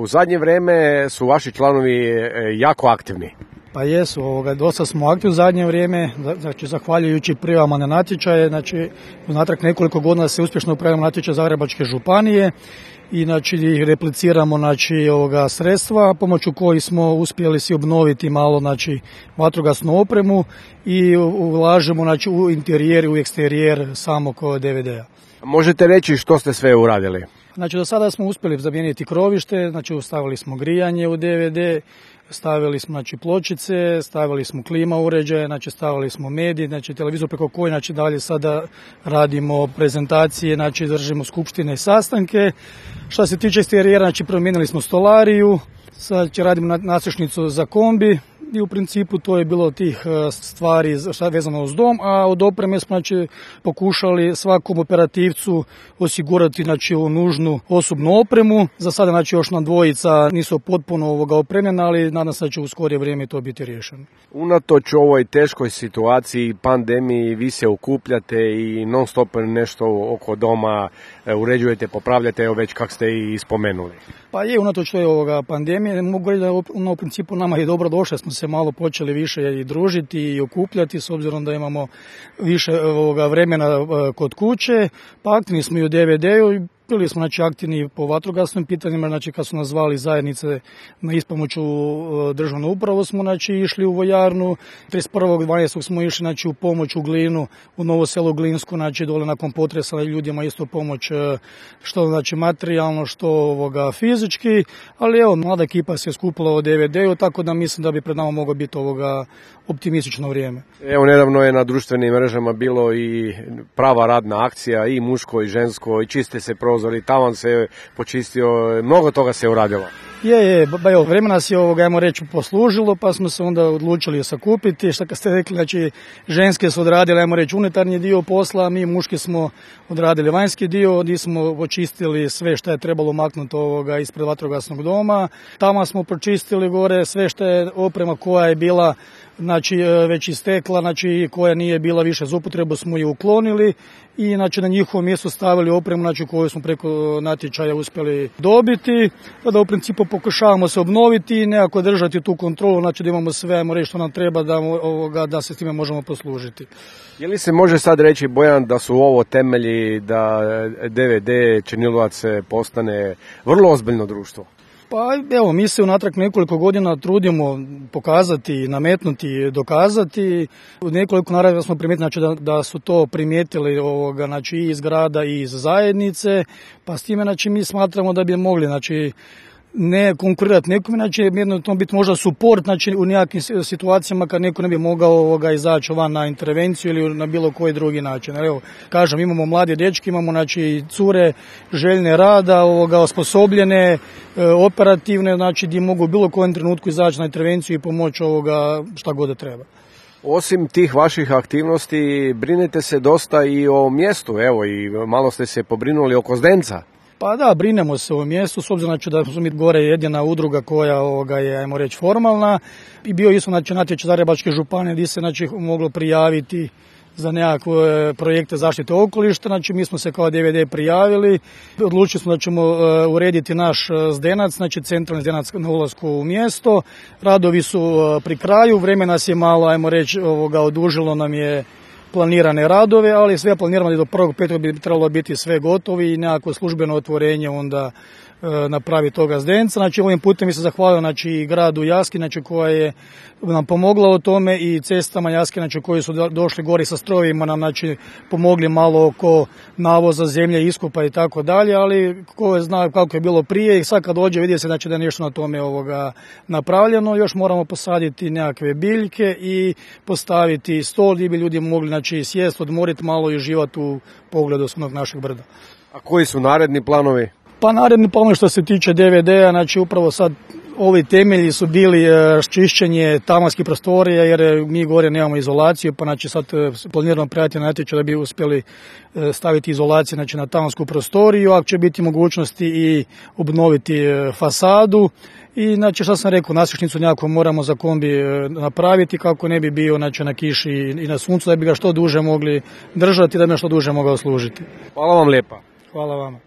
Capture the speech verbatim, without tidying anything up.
U zadnje vrijeme su vaši članovi jako aktivni. Pa jesu, ovoga, dosta smo aktivni u zadnje vrijeme, znači zahvaljujući prijavama na natječaje, znači unatrag nekoliko godina se uspješno upravljamo natječaj Zagrebačke županije i znači repliciramo znači ovoga sredstva pomoću kojih smo uspjeli si obnoviti malo znači vatrogasnu opremu i ulažemo znači u interijer i u eksterijer samog D V D-a. Možete reći što ste sve uradili? Znači do sada smo uspjeli zamijeniti krovište, znači stavili smo grijanje u D V D, stavili smo znači pločice, stavili smo klima uređaje, znači stavili smo medij, znači televizor preko koje znači dalje sada radimo prezentacije, znači držimo skupštine i sastanke. Što se tiče eksterijera, znači promijenili smo stolariju, sad će radimo nasišnicu za kombi i u principu to je bilo tih stvari vezano uz dom, a od opreme smo znači pokušali svakom operativcu osigurati znači nužnu osobnu opremu. Za sada znači još nam dvojica nisu potpuno ovoga opremljena, ali nadam se da će u skorije vrijeme to biti riješeno. Unatoč ovoj teškoj situaciji, pandemiji, vi se okupljate i non stop nešto oko doma uređujete, popravljate, evo već kako ste i spomenuli. Pa je, unatoč toj ovoga pandemije, mogu reći da ono, u principu nama je dobro došlo, smo se malo počeli više i družiti i okupljati, s obzirom da imamo više ovoga vremena kod kuće, pa aktivni smo i u D V D-u. Bili smo znači aktivni po vatrogasnim pitanjima, znači kad su nas zvali zajednice na ispomoću državnu upravu smo znači išli u vojarnu, trideset prvog dvanaestog smo išli znači u pomoć u Glinu, u Novo Selo Glinsku, znači dole nakon potresa ljudima isto pomoć što znači materijalno, što ovoga fizički, ali evo mlada ekipa se skupila u D V D-u, tako da mislim da bi pred nama moglo biti ovoga optimistično vrijeme. Evo nedavno je na društvenim mrežama bilo i prava radna akcija, i muško i žensko, i čiste se prozori, tavan se počistio, mnogo toga se uradilo. Je, je, ba, evo, vremena se ovoga, ajmo reći, poslužilo, pa smo se onda odlučili sakupiti, što kad ste rekli, znači, ženske su odradile, ajmo reći, unutarnji dio posla, mi muški smo odradili vanjski dio, gdje smo očistili sve što je trebalo maknuti ovoga ispred vatrogasnog doma, tamo smo pročistili gore sve što je oprema koja je bila znači već istekla, znači koja nije bila više za upotrebu smo ju uklonili i znači na njihovo mjesto stavili opremu znači koju smo preko natječaja uspjeli dobiti, da u principu pokušavamo se obnoviti i nekako držati tu kontrolu, znači da imamo sve, ajmo reći što nam treba da, ovoga, da se s time možemo poslužiti. Je li se može sad reći, Bojan, da su ovo temelji da D V D Černilovac postane vrlo ozbiljno društvo? Pa evo, mi se unatrag nekoliko godina trudimo pokazati, nametnuti, dokazati. U nekoliko naravno smo primijetili znači, da, da su to primijetili ovoga, znači, i iz grada i iz zajednice, pa s time znači, mi smatramo da bi mogli znači, ne konkurirati nekome, znači jedno to biti možda suport znači, u nekakvim situacijama kad neko ne bi mogao ovoga, izaći van na intervenciju ili na bilo koji drugi način. Evo, kažem, imamo mlade dečke, imamo znači, cure željne rada, ovoga, osposobljene, e, operativne, znači gdje mogu u bilo kojem trenutku izaći na intervenciju i pomoći ovoga šta god da treba. Osim tih vaših aktivnosti, brinete se dosta i o mjestu, evo i malo ste se pobrinuli oko Zdenca. Pa da, brinemo se o mjestu, s obzirom znači, da smo mi gore jedina udruga koja ovoga, je, ajmo reći, formalna. I bio isto znači, natječaj Zagrebačke županije gdje se znači, moglo prijaviti za nekakve projekte zaštite okoliša. Znači, mi smo se kao D V D prijavili. Odlučili smo da ćemo uh, urediti naš Zdenac, znači centralni Zdenac na ulasku u mjesto. Radovi su uh, pri kraju, vreme nas je malo, ajmo reći, ovoga, odužilo nam je planirane radove, ali sve planiramo da do prvog petog bi trebalo biti sve gotovi i nekako službeno otvorenje onda e, napravi toga Zdenca. Znači ovim putem mi se zahvalio znači, i gradu Jaski, znači, koja je nam pomogla u tome i cestama Jaski, znači, koji su došli gori sa strojevima, nam znači, pomogli malo oko navoza zemlje, iskopa i tako dalje, ali ko zna kako je bilo prije i sad kad dođe vidi se znači, da je nešto na tome ovoga napravljeno. Još moramo posaditi nekakve biljke i postaviti stol gdje bi ljudi mogli znači, sjest, odmoriti malo i uživati u pogledu svog našeg brda. A koji su naredni planovi? Pa naredni planovi što se tiče D V D-a, znači upravo sad ovi temelji su bili čišćenje tavanskih prostorija jer mi gore nemamo izolaciju, pa znači sad planiramo prijaviti na natječaj da bi uspjeli staviti izolaciju znači, na tavansku prostoriju, ako će biti mogućnosti i obnoviti fasadu. I znači što sam rekao, nasišnicu nekako moramo za kombi napraviti kako ne bi bio znači, na kiši i na suncu, da bi ga što duže mogli držati, da bi ga što duže mogao služiti. Hvala vam lijepa. Hvala vama.